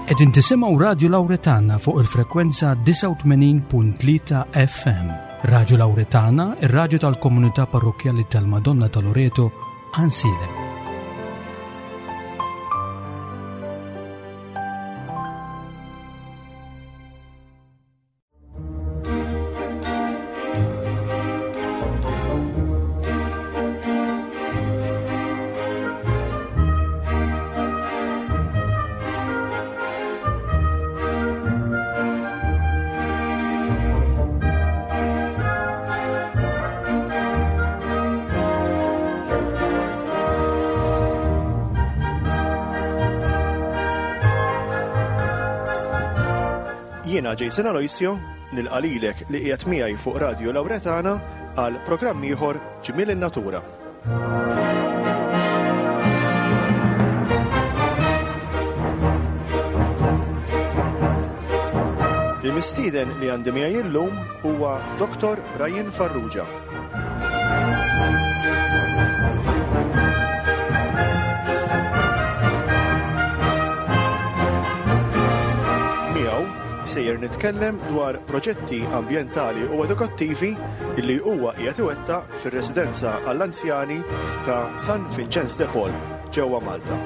Qegħdin tisimgħu Radju Lawretana fuq il-frekwenza 89.3 FM. Radju Lawretana, ir-radju tal-komunità parrokkjali tal-Madonna ta' Loreto, Ansilem. Jiena Jason Aloisio, nilqa' lilek li qiegħed miegħi fuq Radju Lawretana għal programm ieħor Ġmiel in-Natura. Il-mistieden li għandi miegħi illum huwa Dr. Brian Farrugia. Miegħu sejjer nitkellem dwar proġetti ambjentali u edukattivi li huwa qiegħed iwettaq fir-residenza għall-anzjani ta' San Vincenz de Paul ġewwa Malta.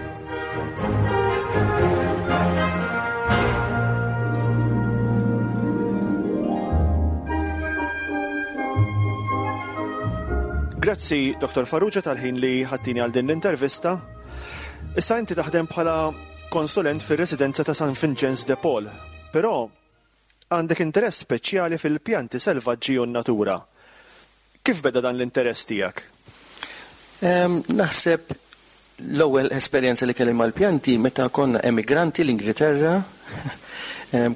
Grazzi, Dr. Farrugia, tal-ħin li ħattini għal din l-intervista. Issa inti taħdem bħala konsulent fir-residenza ta' San Vincenz de Paul, però għandek interess speċjali fil-pjanti selvaġġi u n-natura. Kif beda dan l-interess tiegħek? Naħseb l-ewwel esperjenza li kelli mal-pjanti meta konna emigranti l-Ingilterra.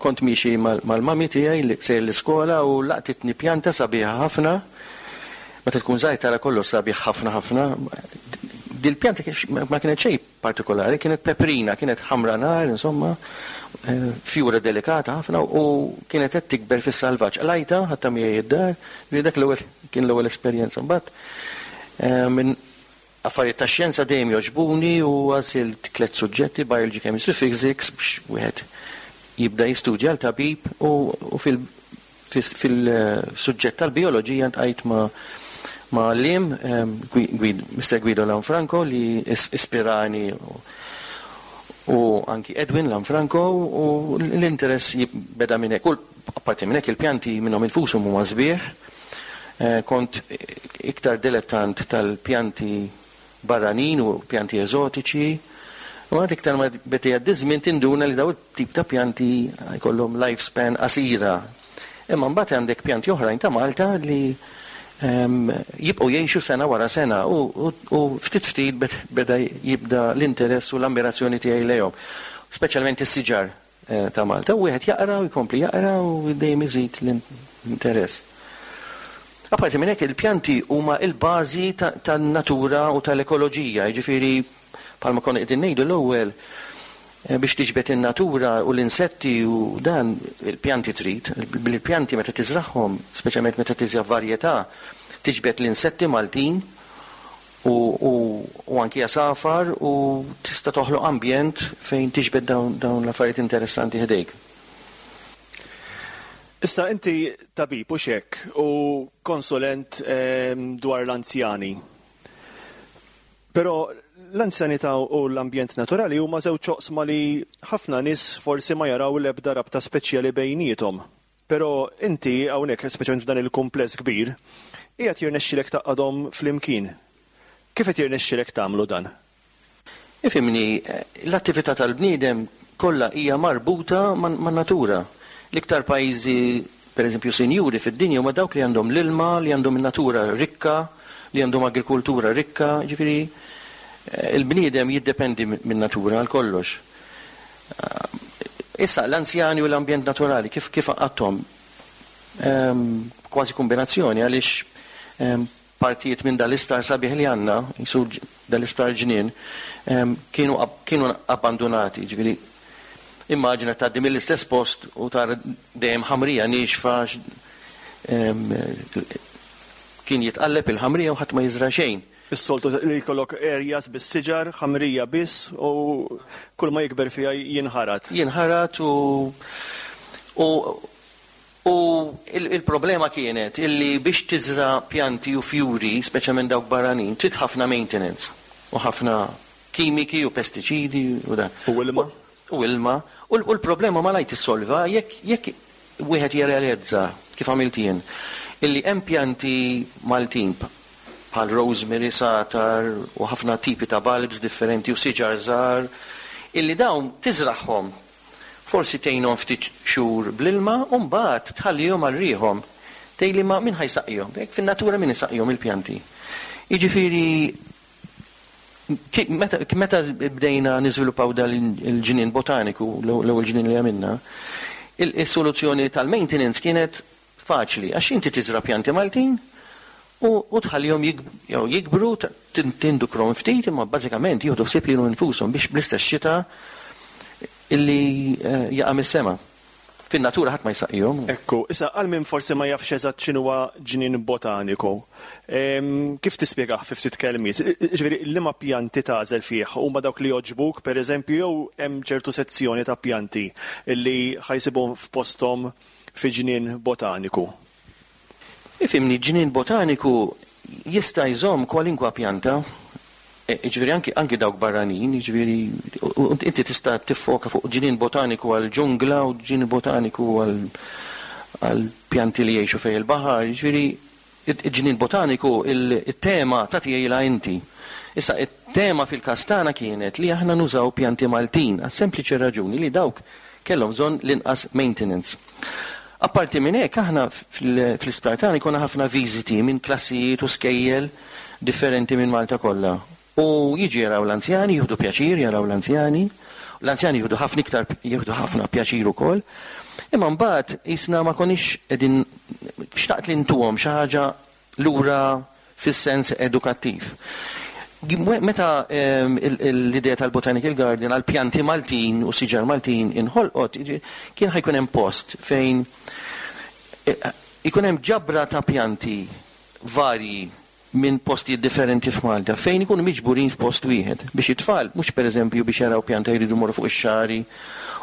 Kont miexi mal-mami tiegħi li sejjer l-iskola u laqtitni pjanta sabiħa ħafna. Meta tkun żgħir tara kollox sabiħ ħafna ħafna. Dil-pjanta ma kienet xejn partikolari, kienet peprina, kienet ħamra nar, insomma, fjura delikata ħafna u kienet qed tikber fis-salvaġġ. Qlajtha, ħadtha miegħi d-dar, ġifieri dak l-ewwel kien l-ewwel esperjenza. Mbagħad minn affarijiet tax-xjenza dejjem jogħġbuni u għażilt tliet suġġetti, Biology, Chemistry, Physics, biex wieħed jibda jistudja għal tabib u fil Fil-suġġett tal-bijoloġija ltqajt ma' ma' għalliem, Mister Guido Lanfranco li ispirani u anki Edwin Lanfranco u l-interess beda minn hekk. U apparti minn hekk il-pjanti minnhom infushom huma sbieħ. Kont iktar dilettant tal-pjanti barranin u pjanti eżotiċi. U għad iktar ma beda jgħaddi ż-żmien tinduna li dawn it-tip ta' pjanti jkollhom life span qasira. Imma mbagħad għandek pjanti oħrajn ta' Malta li jibqgħu jgħixu sena wara sena u ftit ftit beda jibda l-interess u l-ammirazzjoni tiegħi lejhom. Speċjalment is-siġar ta' Malta. U wieħed jaqra u jkompli jaqra u dejjem iżid l-interess. Apparti minn hekk il-pjanti huma l-bażi tan-natura u tal-ekoloġija, jiġifieri bħalma konna qegħdin ngħidu l-ewwel biex tiġbed in-natura u l-insetti u dan il-pjanti trid, bil-pjanti meta tiżragħhom, speċjalment meta tiżra' varjetà, tiġbed l-insetti Maltin u u anki għasafar u tista' toħloq ambjent fejn tiġbed dawn dawn l-affarijiet interessanti ħdejk. Issa inti tabib hux hekk u konsulent dwar l-anzjani. Però l-anzjanità u l-ambjent naturali huma żewġ oqsma li ħafna nies forsi ma jaraw l-ebda rabta speċjali bejniethom. Però inti hawnhekk, speċjalment f'dan il-kumpless kbir, qiegħed jirnexxilek tgħaqqadhom flimkien. Kif qed jirnexxilek tagħmlu dan? Ifhimni, l-attività tal-bniedem kollha hija marbuta man-natura. L-iktar pajjiżi, pereżempju, sinjuri fid-dinja huma dawk li għandhom l-ilma, li għandhom in-natura rikka, li għandhom agrikultura rikka, jiġifieri l-bniedem jiddependi min-natura għal kollox. Issa, l-anzjani u l-ambjent naturali, kif kif għaqqadthom? Kważi kombinazzjoni għaliex partijiet minn dal-isptar sabiħ li għandna, jisu dal-isptar ġnien, kienu kienu abbandunati, ġifieri immaġina tgħaddi mill-istess post u tara dejjem ħamrija niexfa kien jitqalleb il-ħamrija u ħadd ma jiżra' xejn. Is-soltu li jkollok areas bis-siġar, ħamrija biss u kull ma jikber fiha jinħarat. Jinħarat u u u il-problema kienet illi biex tiżra' pjanti u fjuri, speċjalment dawk barranin, trid ħafna maintenance u ħafna kimiki u pestiċidi u dan. U ilma. U ilma. U l-problema malajr tissolva jekk jekk wieħed jirrealizza, kif għamilt jien, illi hemm pjanti Maltin bħal rosemary, satar u ħafna tipi ta' bulbs differenti u siġar żgħar, illi dawn tiżragħhom, forsi tgħinhom ftit xhur bl-ilma u mbagħad tħallihom għal riħhom. Tgħidli ma min ħa jsaqqihom? Hekk fin-natura min isaqqihom il-pjanti? Jiġifieri Meta bdejna niżviluppaw dan il-ġnien botaniku, l-ewwel ġnien li għamilna, is-soluzzjoni tal-maintenance kienet faċli għax inti tiżra' pjanti Maltin u tħallihom jikbru, tindukrhom ftit imma bażikament jieħdu ħsieb lilhom infushom biex bl-istess xita li jaqa' mis-sema. Fin-natura ħadd ma jsaqqihom. Ekku, issa għal min forsi ma jafx eżatt x'inhuwa ġnien botaniku, kif tispjegah fi ftit kelmiet? Jiġifieri liema pjanti tagħżel fih? Huma dawk li jogħġbuk, pereżempju, jew hemm ċertu sezzjoni ta' pjanti li ħa jsibuhom f'posthom fi ġnien botaniku? Ifhimni, ġnien botaniku jista' jżomm kwalinkwa pjanta, jiġifieri anki anki dawk barranin, jiġifieri inti tista' tiffoka fuq ġnien botaniku għal ġungla u ġnien botaniku għal għal pjanti li jgħixu fejn il-baħar, jiġifieri il-ġnien botaniku il-tema tagħtiha inti. Issa it-tema fil-każ tagħna kienet li aħna nużaw pjanti Maltin għas-sempliċi raġuni li dawk kellhom bżonn l-inqas maintenance. Apparti minn hekk aħna fl-isptar tagħna jkollna ħafna viżiti minn klassijiet u skejjel differenti minn Malta kollha. U jiġu jaraw l-anzjani, jieħdu pjaċir jaraw l-anzjani, l-anzjani jieħdu ħafna iktar jieħdu ħafna pjaċir ukoll. Imma mbagħad qisna ma konniex qegħdin xtaqt li ntuhom xi ħaġa lura fis-sens edukattiv. Meta l-idea tal-Botanical Garden għal pjanti Maltin u siġar Maltin inħolqot, kien ħa jkun hemm post fejn ikun hemm ġabra ta' pjanti varji minn postijiet differenti f'Malta fejn ikunu miġburin f'post wieħed biex it-tfal mhux pereżempju biex jaraw pjanta jridu jmorru fuq ix-xagħri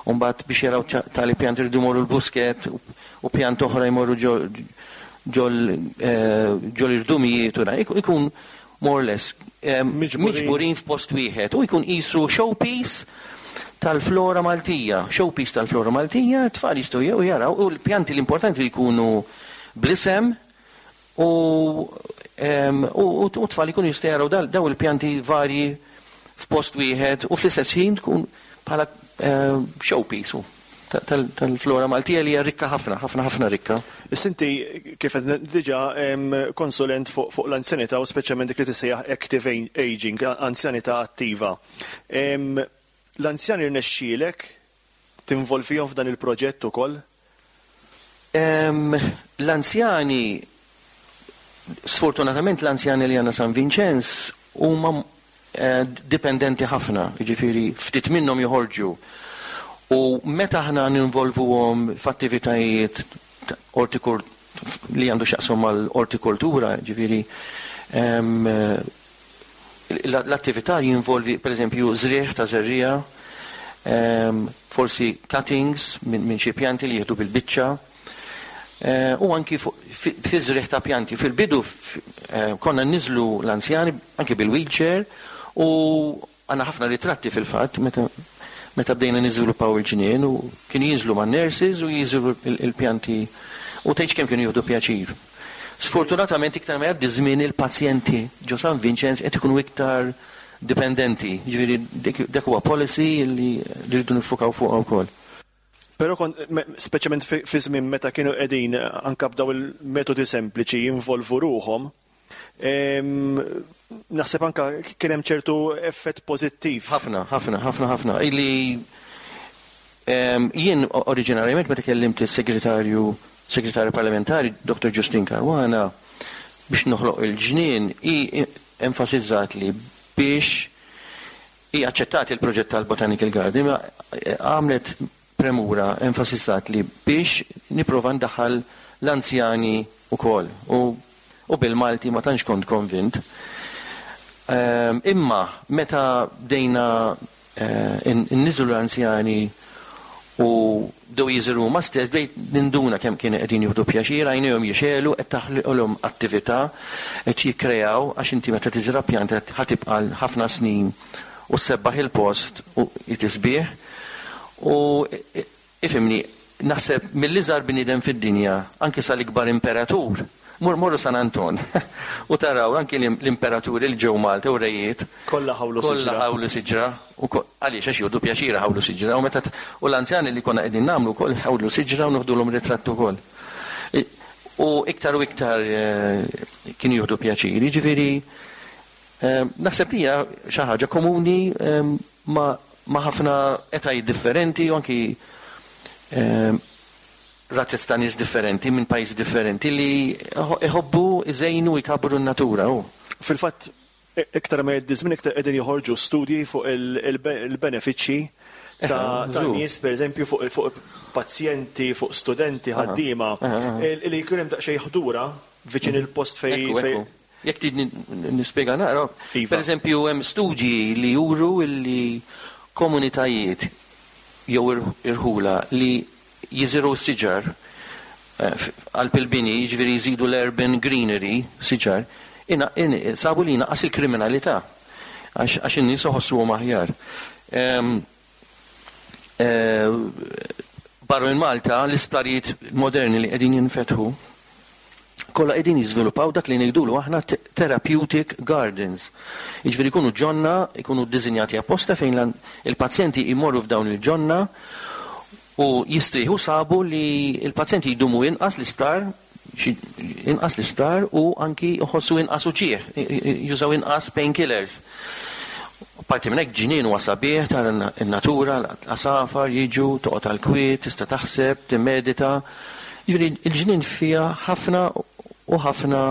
u mbagħad biex jaraw tali pjanta jridu jmorru l-Buskett u pjanta oħra jmorru ġol-irdumijiet u dan. Ikun more or less miġburin f'post wieħed u jkun qisu showpiece tal-flora Maltija. Showpiece tal-flora Maltija, t-tfal jistgħu jew jaraw u l-pjanti l-importanti li jkunu bl-isem u u t-tfal ikunu jistgħu jaraw daw il-pjanti varji f'post wieħed u fl-istess ħin tkun bħala showpiece tal-flora Maltija li hija rikka ħafna, ħafna ħafna rikka. Issa inti kif qed diġà konsulent fuq l-anzjanità u speċjalment dik li tissejjaħ active aging, anzjanità attiva. L-anzjani rnexxielek tinvolvihom f'dan il-proġett ukoll? L-anzjani, sfortunatament l-anzjani li għandna San Vinċenz huma dipendenti ħafna, jiġifieri ftit minnhom joħorġu. U meta aħna ninvolvuhom f'attivitajiet li għandu x'jaqsam mal-ortikoltura, jiġifieri l-attività jinvolvi pereżempju żrigħ ta' żerriegħa, forsi cuttings minn xi pjanti li jieħdu bil-biċċa, u anki fi żrigħ ta' pjanti. Fil-bidu konna nniżżlu l-anzjani anki bil-wheelchair u għandna ħafna ritratti fil-fatt meta meta bdejna niżviluppaw il-ġnien u kienu jinżlu man-nurses u jiżru il-pjanti u tgħidx kemm kienu jieħdu pjaċir. Sfortunatament iktar ma jgħaddi żmien il-pazjenti ġo San Vinċenz qed ikunu iktar dipendenti, jiġifieri dik huwa policy li rridu niffukaw fuqha wkoll. Però kont, speċjalment fi żmien meta kienu qegħdin anke b'daw il-metodi sempliċi jinvolvu ruħhom, naħseb anke kien hemm ċertu effett pożittiv. Ħafna, ħafna, ħafna, ħafna. Illi jien oriġinarjament meta kellimt is-segretarju segretarju parlamentari Dr. Justin Caruana biex noħloq il-ġnien, hi enfasizzat li biex hi aċċettat il-proġett tal-Botanical Garden, ma għamlet premura, enfasizzat li biex nipprova ndaħħal l-anzjani wkoll. U, u bil-Malti ma tantx kont konvint. Imma meta bdejna inniżżlu l-anzjani u bdew jiżru huma stess, bdejt ninduna kemm kienu qegħdin jieħdu pjaċir, għajnejhom jixegħlu, qed taħloqilhom attività, qed jikkreaw, għax inti meta tiżra' pjanta ħa tibqa' għal ħafna snin u ssebbaħ il-post u hi tisbieħ. U Ifhimni, naħseb mill-iżgħar bniedem fid-dinja anki sal-ikbar imperatur, mur morru San Anton u taraw anki l-imperaturi li ġew Malta u rejiet, Kollha ħawlu siġra. Kollha ħawlu siġra. U għaliex? Għax jieħdu pjaċir iħawlu siġra u meta u l-anzjani li konna qegħdin nagħmlu wkoll iħawlu siġra u noħdulhom ritratt ukoll. U iktar u iktar kienu jieħdu pjaċir. Jiġifieri naħseb li hija xi ħaġa komuni ma' ma' ħafna etajiet differenti u anki razez ta' nies differenti minn pajjiżi differenti li jħobbu jżejnu u jkabbru n-natura u. Fil-fatt, iktar ma jgħaddi ż-żmien iktar qegħdin joħorġu studji fuq il-benefiċċji ta' nies, pereżempju fuq pazjenti, fuq studenti, ħaddiema, li jkun hemm daqsxejn ħdura viċin il-post fejn. Jekk tridni nispjega naqra. Iva. Pereżempju hemm studji li juru li komunitajiet jew irħula li jiżirgħu s-siġar qalb il-bini, jiġifieri jżidu l-urban greenery, siġar, sabu li jnaqqas il-kriminalità għax in-nies iħossuhom aħjar. Barra minn Malta, l-isptarijiet moderni li qegħdin jinfetħu kollha qegħdin jiżviluppaw dak li ngħidulu aħna therapeutic gardens. Jiġifieri jkunu ġonna, jkunu ddisinjati apposta fejn il-pazjenti jmorru f'dawn il-ġonna u jistrieħu sabu li l-pazjenti jdumu inqas l-isptar, inqas l-isptar u anki jħossu inqas uġigħ, jużaw inqas painkillers. Apparti minn hekk ġnien huwa sabiħ, tara n-natura, l-għasafar jiġu, toqgħod għall-kwiet, tista' taħseb, timmedita. Jiġifieri l-ġnien fiha ħafna u ħafna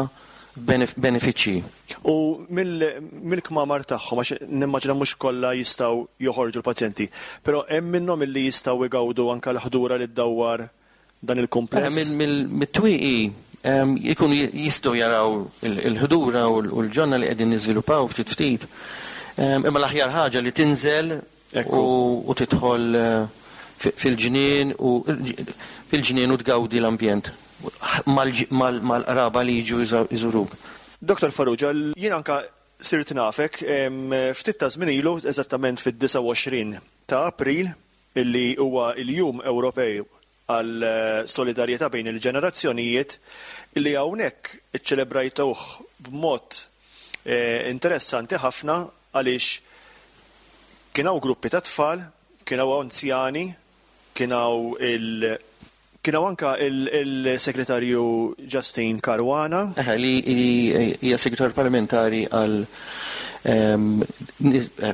benefiċċji. U mill-kmamar tagħhom, għax nimmaġina mhux kollha jistgħu joħorġu l-pazjenti, però hemm minnhom illi jistgħu jgawdu anke l-ħdura li ddawwar dan il-kumpless. Mit-twieqi jkunu jistgħu jaraw il-ħdura u l-ġonna li qegħdin niżviluppaw ftit ftit. Imma l-aħjar ħaġa li tinżel u tidħol fil-ġnien u fil-ġnien u tgawdi l-ambjent mal-qraba li jiġu jżuruk. Dottor Farrugia, jien anke sirt nafek ftit ta' żmien ilu, eżattament fid-29 ta' April, illi huwa l-Jum Ewropew għall-Solidarjetà bejn il-Ġenerazzjonijiet, illi hawnhekk iċċelebrajtuh b'mod interessanti ħafna għaliex kien hawn gruppi ta' tfal, kien hawn anzjani, kien hawn il kien hawn anke il-Segretarju Justine Caruana. Eħe, li hija Segretarju Parlamentari għal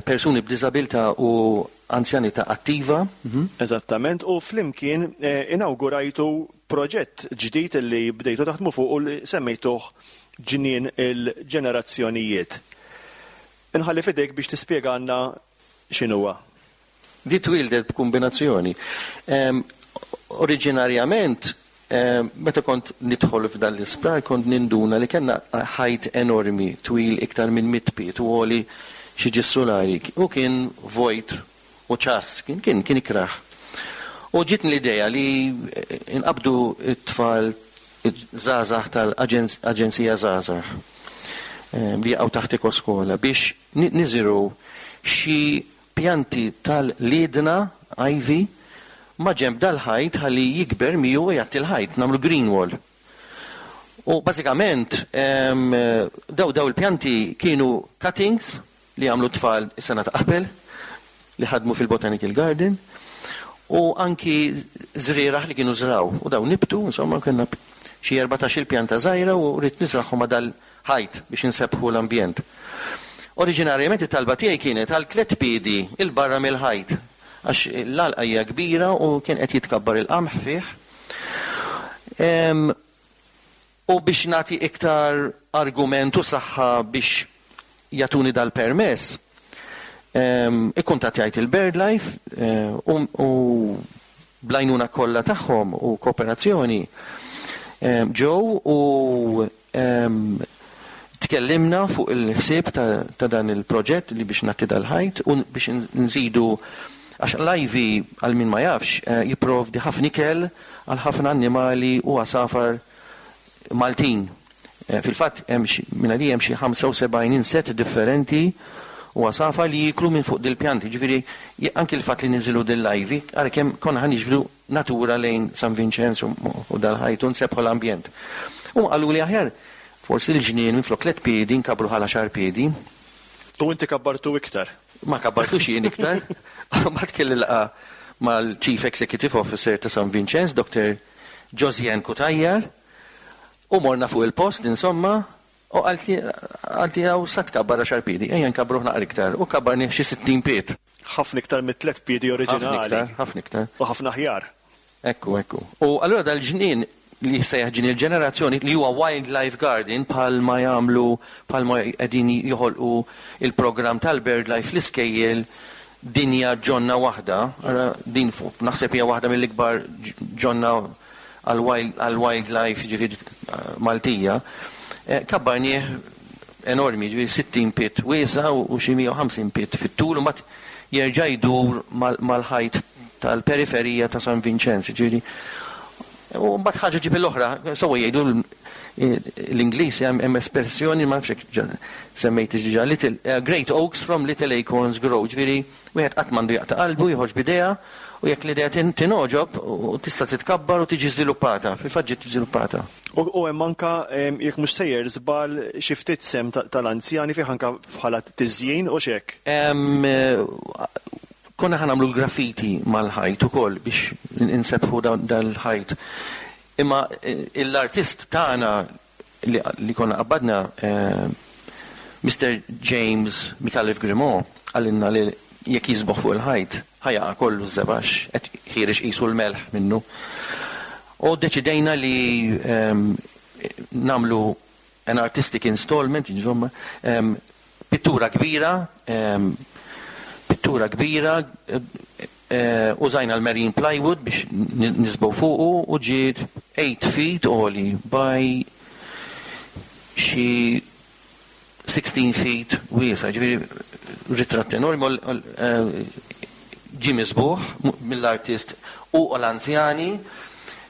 persuni b'diżabilità u anzjanità attiva. Eżattament, u flimkien inawgurajtu proġett ġdid li bdejtu taħdmu fuqu li semmejtuh Ġnien il-Ġenerazzjonijiet. Inħalli f'idejk biex tispjegalna x'inhuwa. Di twieldet b'kumbinazzjoni. Oriġinarjament, meta kont nidħol f'dan l-isptar kont ninduna li kellna ħajt enormi twil iktar minn mitt pied u għoli xi ġis sulari u kien vojt u ċass, kien kien kien ikrah. U ġietni l-idea li nqabbdu t-tfal żgħażagħ tal-Aġenzija Żgħażagħ li jaqgħu taħt Ekoskola biex niżirgħu xi Pjanti tal-liedna, ivy, maġenb dal-ħajt ħalli jikber miegħu u jgħatti l-ħajt, nagħmlu green wall. U bażikament daw daw il-pjanti kienu cuttings li għamlu t-tfal is-sena ta' qabel li ħadmu fil-Botanical Garden u anki żrieragħ li kienu żraw u dawn nibtu, insomma kellna xi 14-il pjanta żgħira u ridt niżragħhom ma' dal ħajt biex insebbħu l-ambjent. Oriġinarjament it-talba tiegħi kienet għal tlett piedi 'l barra mill-ħajt għax l-għalqa hija kbira u kien qed jitkabbar il-qamħ fih. U biex nagħti iktar argument u saħħa biex jagħtuni dal-permess, ikkuntattjajt il-BirdLife u bl-għajnuna kollha tagħhom u kooperazzjoni ġew u. Tkellimna fuq il-ħsieb ta' dan il-proġett li biex nagħti dal-ħajt u biex nżidu għax l-ivy għal min ma jafx jipprovdi ħafna ikel għal ħafna annimali u għasafar Maltin. Fil-fatt hemm xi minn għalija hemm xi 75 insett differenti u għasafar li jieklu minn fuq dil-pjanti. Ġifieri anki l-fatt li ninżilu dil-ivy ara kemm konna ħa niġbdu natura lejn San Vinċenz u dal-ħajt u nsebbħu l-ambjent. Huma qaluli aħjar forsi l-ġnien minflok tlett piedi nkabbruh għal għaxar piedi. U inti kabbartu iktar? Ma kabbartux jien iktar. Mbagħad kelli laqgħa mal-Chief Executive Officer ta' San Vinċenz, Doctor Josianne Cutajar, u morna fuq il-post insomma u qaltli qaltli hawn sa tkabbar għaxar piedi, ejja nkabbruh naqra iktar u kabbarnih xi 60 pied. Ħafna iktar mit-tlett piedi oriġinali. Ħafna iktar, ħafna iktar. U ħafna aħjar. Ekku, ekku. U allura dal-ġnien li jissejjaħ ġnien il-ġenerazzjoni li huwa wildlife garden bħal ma jagħmlu bħal ma qegħdin joħolqu il-programm tal-BirdLife fl-iskejjel dinja ġonna waħda, ara din naħseb hija waħda mill-ikbar ġonna għall-wildlife jiġifieri Maltija, kabbarnieh enormi, jiġifieri 60 pied wiesa' u xi 150 pied fit-tul u mbagħad jerġa' jdur mal-ħajt tal-periferija ta' San Vinċenz, jiġifieri u mbagħad ħaġa ġġib l-oħra, sewwa jgħidu l-Ingliż hemm espressjoni ma nafx jekk semmejthiex diġà, little great oaks from little acorns grow, jiġifieri Wieħed qatt m'għandu jaqta' qalbu, joħroġ b'idea, u jekk l-idea tingħoġob, tista' titkabbar u tiġi żviluppata. Fil-fatt ġiet żviluppata. U hemm anke, jekk mhux sejjer żball, xi ftit sehem tal-anzjani fih anke bħala tiżjin, hux hekk? Konna ħa nagħmlu l-graffiti mal-ħajt ukoll biex insebbħu dal-ħajt. Imma l-artist tagħna li konna qabbadna, Mister James Micallef Grimaud qalilna li jekk jiżbogħ fuq il-ħajt, ħa jaqa' kollu ż-żebgħa għax qed ħiereġ qisu l-melħ minnu. U ddeċidejna li nagħmlu an artistic installment, insomma, pittura kbira, pittura kbira, Użajna l-marine plywood biex niżbgħu fuqu u ġiet 8 feet għoli by xi 16 feet wiesgħa, jiġifieri ritratt enormi ġie miżbugħ mill-artist u l-anzjani.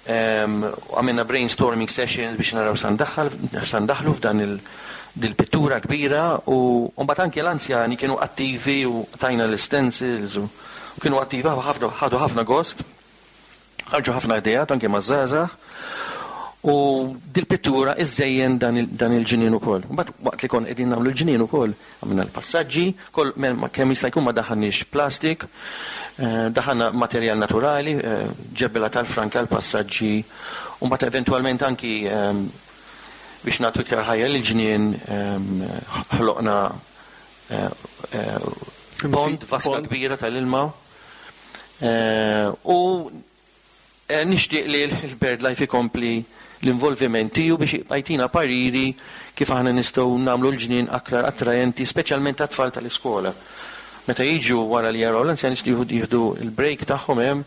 Għamilna brainstorming sessions biex naraw x'sa ndaħħlu f'dan dil-pittura kbira u mbagħad anke l-anzjani kienu attivi u tajna l-istencils u kienu attivi ħafna ħadu ħafna gost, ħarġu ħafna ideat anke maż-żgħażagħ u dil-pittura iżżejjen dan il-ġnien ukoll. Mbagħad waqt li konna qegħdin nagħmlu l-ġnien ukoll għamilna l-passaġġi, kemm jista' jkun ma daħħalniex plastik, daħħalna materjal naturali, ġebla tal-franka l-passaġġi u mbagħad eventwalment anki Biex nagħtu iktar ħajja lill-ġnien ħloqna pond, vaska kbira tal-ilma u nixtieq li l-BirdLife ikompli l-involviment tiegħu biex jibqa' jtina pariri kif aħna nistgħu nagħmlu l-ġnien aktar attraenti speċjalment għat-tfal tal-iskola. Meta jiġu wara li jaraw l-anzjani jistgħu jieħdu l-break tagħhom hemm,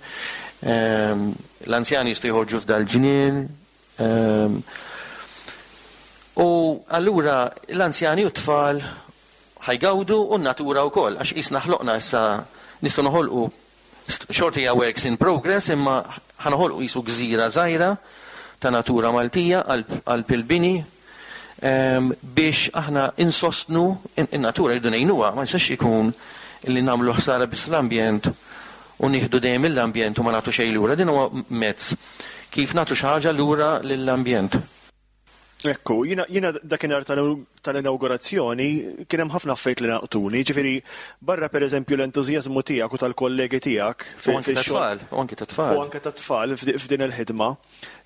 l-anzjani jistgħu joħorġu f'dal-ġnien, U allura l-anzjani u t-tfal ħa jgawdu u n-natura wkoll għax qisna ħloqna issa nistgħu noħolqu xorta hija works in progress imma ħa noħolqu qisu gżira żgħira ta' natura Maltija qalb il-bini biex aħna insostnu in-natura rridu ngħinuha ma jistax ikun li nagħmlu ħsara biss l-ambjent u nieħdu dejjem mill-ambjent u ma nagħtu xejn lura. Din huwa mezz kif nagħtu xi ħaġa lura lill-ambjent. Ekku, jiena jiena dakinhar tal-inawgurazzjoni kien hemm ħafna affarijiet li laqtuni, jiġifieri barra pereżempju l-entużjażmu tiegħek u tal-kollegi tiegħek U anke tat-tfal, u anke tat-tfal. U anke tat-tfal f'din il-ħidma.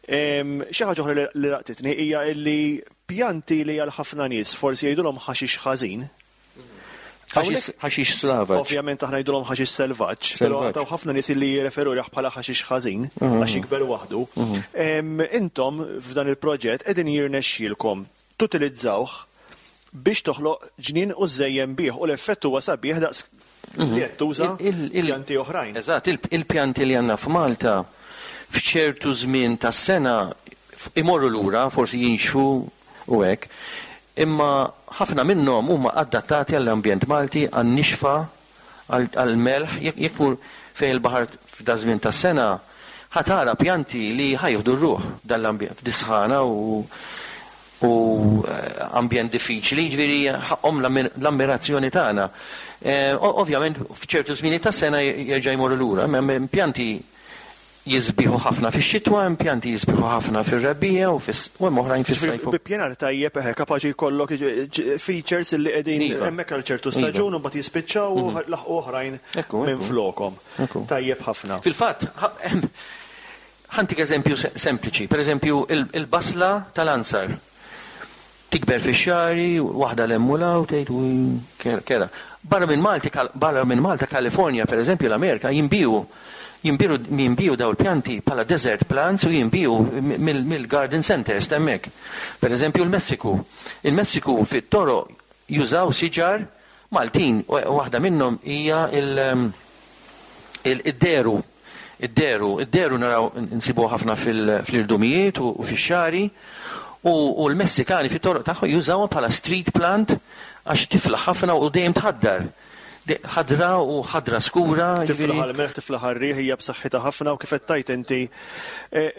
Xi ħaġa oħra li laqtitni hija li pjanti li għal ħafna nies forsi jgħidulhom ħaxix ħażin, Ħaxix slavaġ. Ovvjament aħna ngħidulhom ħaxix selvaġġ, però taw ħafna nies li jirreferu lih bħala ħaxix ħażin għax jikber waħdu. Intom f'dan il-proġett qegħdin jirnexxielkom tutilizzawh biex toħloq ġnien u żżejjen bih u l-effett huwa sabiħ daqs li qed tuża pjanti oħrajn. Eżatt, il-pjanti li għandna f'Malta f'ċertu żmien tas-sena imorru lura, forsi jinxfu u hekk. Imma ħafna minnhom huma adattati għall-ambjent Malti, għan-nixfa, għall-melħ. Jekk tmur fejn il-baħar f'daż-żmien tas-sena, ħa tara pjanti li ħa jieħdu r-ruħ f'dan l-ambjent, f'dis-sħana u u ambjent diffiċli, jiġifieri ħaqqhom l-ammirazzjoni tagħna. Ovvjament f'ċertu żminijiet tas-sena jerġa' jmorru lura, imma hemm pjanti jisbieħu ħafna fix-xitwa, hemm pjanti jisbieħu ħafna fir-rebbiegħa u u hemm oħrajn fis-sajf. Bi ppjanar tajjeb eħe kapaċi jkollok features li qegħdin hemmhekk għal ċertu staġun u mbagħad jispiċċaw u laħqu oħrajn minflokhom. Tajjeb ħafna. Fil-fatt, ħa ntik eżempju sempliċi. Pereżempju, il-basla tal-ansar. Tikber fix-xagħri, waħda 'l hemm u 'l hawn, tgħid ui kerha. Barra minn Malti, barra minn Malta, California, per eżempju, l-Amerika, jinbiegħu jinbiegħu jinbiegħu dawn il-pjanti bħala desert plants u jinbiegħu mill-garden centres t'hemmhekk. Per eżempju, l-Messiku. Il-Messiku fit-toroq jużaw siġar Maltin, waħda minnhom hija l id-deru. Id-deru, id-deru naraw insibuh ħafna fl-irdumijiet u fix-xagħri, u l-Messikani fit-toroq tagħhom jużawha bħala street plant għax tiflaħ ħafna u dejjem tħaddar. Ħadra u ħadra skura. Tiflaħ għall-melħ, tiflaħ għar-riħ, hija b'saħħitha ħafna u kif qed tgħid inti.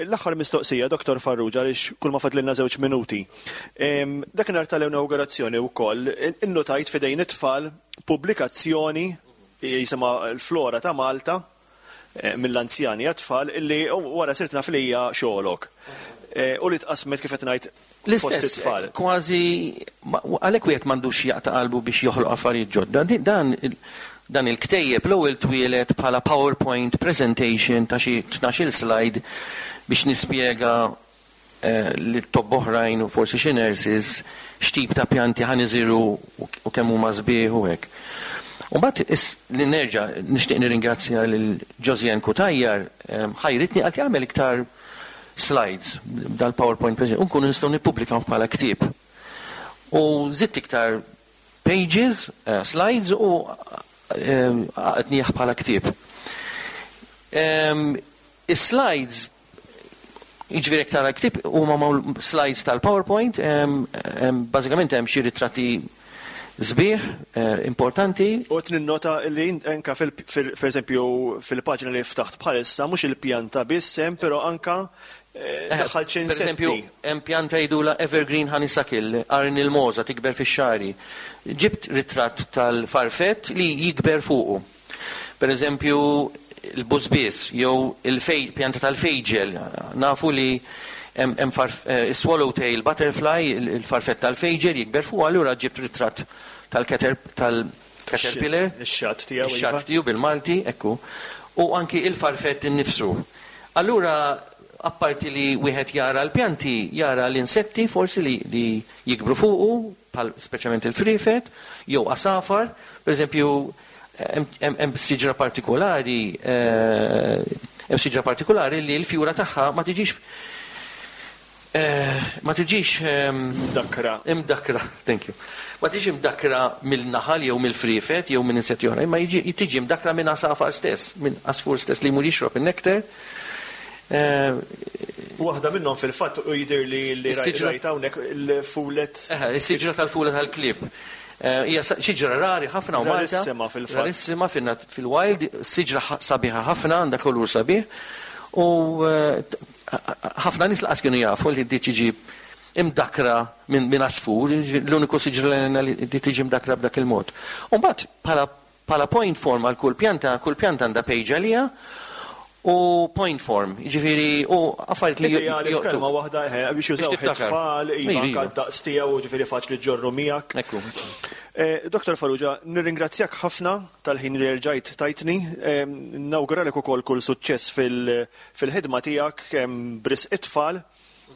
L-aħħar mistoqsija, Dottor Farrugia, għaliex kulma fadlilna żewġ minuti. Dakinhar tal-inawgurazzjoni wkoll innutajt f'idejn it-tfal pubblikazzjoni jisimha l-Flora ta' Malta mill-anzjani għat-tfal illi wara sirt naf li hija xogħolok. U li tqassmet kif qed ngħid fost it-tfal. L-istess, kważi, għalhekk wieħed m'għandux jaqta' qalbu biex joħloq affarijiet ġodda. Dan dan il-ktejjeb l-ewwel twieled bħala PowerPoint presentation ta' xi tnax-il slide biex nispjega lil tobba oħrajn u forsi xi nurses x'tip ta' pjanti ħa niżirgħu u kemm huma sbieħ u hekk. U mbagħad li nerġa' nixtieq nirringrazzja lil Josianne Cutajar ħajritni qaltli agħmel iktar slides dal-PowerPoint presentation u nkunu nistgħu nippubblikawh bħala ktieb. U żidt iktar pages, slides u għaqadnieh bħala ktieb. Is-slides Jiġifieri jekk tara l-ktieb huma magħmul slides tal-PowerPoint, bażikament hemm xi ritratti sbieħ, importanti. U qed ninnota li anke pereżempju fil-paġna li ftaħt bħalissa mhux il-pjanta biss hemm però anke daħħalt xi insetti. Pereżempju hemm pjanta jgħidulha evergreen honeysuckle, qarn il-mogħża tikber fix-xagħri. Ġibt ritratt tal-farfett li jikber fuqu. Per eżempju, il-bużbież jew il-pjanta tal-fejġel, nafu li hemm is-swallowtail butterfly, il-farfett tal-fejġel jikber fuqha, allura ġibt ritratt tal-caterpillar. Ix-xatt tiegħu. Iva. Ix-xatt tiegħu bil-Malti, ekku. U anki il-farfett innifsu. Allura, apparti li wieħed jara l-pjanti, jara l-insetti forsi li jikbru fuqu, bħal speċjalment il-friefet, jew għasafar, pereżempju hemm siġra partikolari hemm siġra partikolari li l-fjura tagħha ma tiġix ma tiġix Imdakkra. Imdakkra, thank you. Ma tiġix imdakkra mill-naħal jew mill-friefet jew minn insetti oħra, imma tiġi imdakkra minn għasafar stess, minn għasfur stess li jmur jixrob in-nectar. Waħda minnhom fil-fatt u jidhirli li rajt hawnhekk il-fulet. Eħe, is-siġra tal-fula tal-klieb. Hija siġra rari ħafna hawn Malta. Rarissima fil-fatt. Rarissima fil-wild, siġra sabiħa ħafna, għandha kulur sabiħ. U ħafna nies lanqas kienu jafu li di tiġi imdakkra minn għasfur, l-uniku siġra li tiġi mdakkra b'dak il-mod. U mbagħad bħala Bħala point form għal kull pjanta, kull pjanta għandha page għaliha u point form, jiġifieri u affarijiet li Ideali f'kelma waħda eħe, biex jużawh it-tfal, iva anke d-daqs tiegħu, jiġifieri faċli ġġorru miegħek. Ekku. Dottor Farrugia, nirringrazzjak ħafna tal-ħin li erġajt tajtni. Nawguralek ukoll kull suċċess fil-ħidma tiegħek kemm b'risq it-tfal,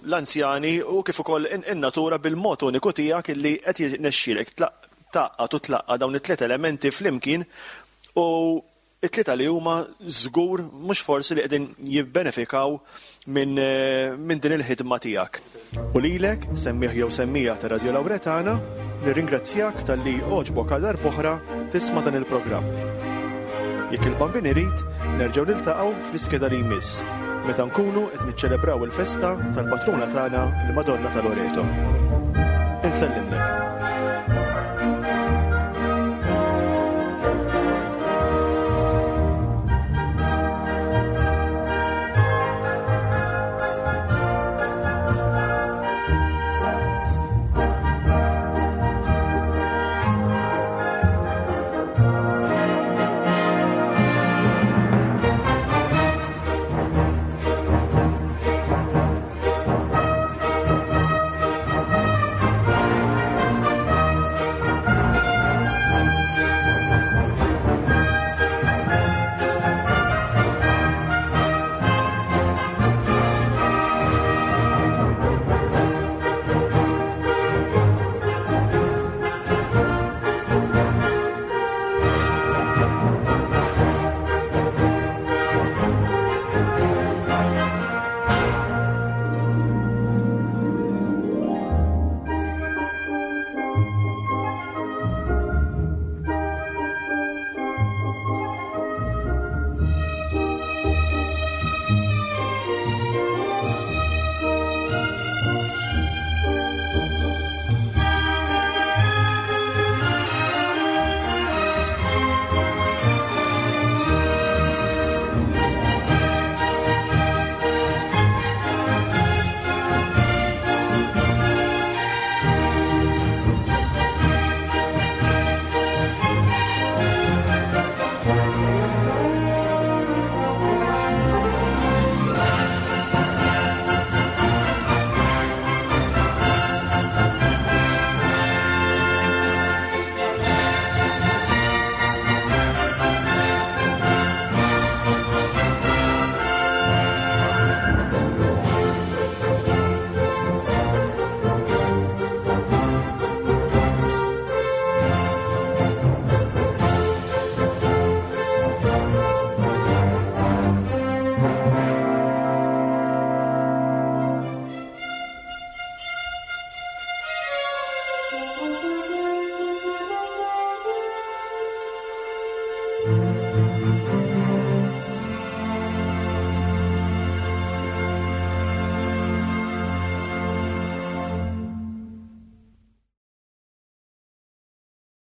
l-anzjani u kif ukoll in-natura bil-mod uniku tiegħek illi qed jirnexxielek tgħaqqad u tlaqqa' dawn it-tliet elementi flimkien u t-tlieta li huma żgur mhux forsi li qegħdin jibbenefikaw minn minn din il-ħidma tiegħek. U lilek, semmiegħ jew semmiegħa ta' Radio Lauretana, nirringrazzjak talli għoġbok għal darb'oħra tisma' dan il-programm. Jekk il-Bambin irid, nerġgħu niltaqgħu fl-iskeda li jmiss, meta nkunu qed niċċelebraw il-festa tal-patruna tagħna l-Madonna ta' Loreto. Insellimlek.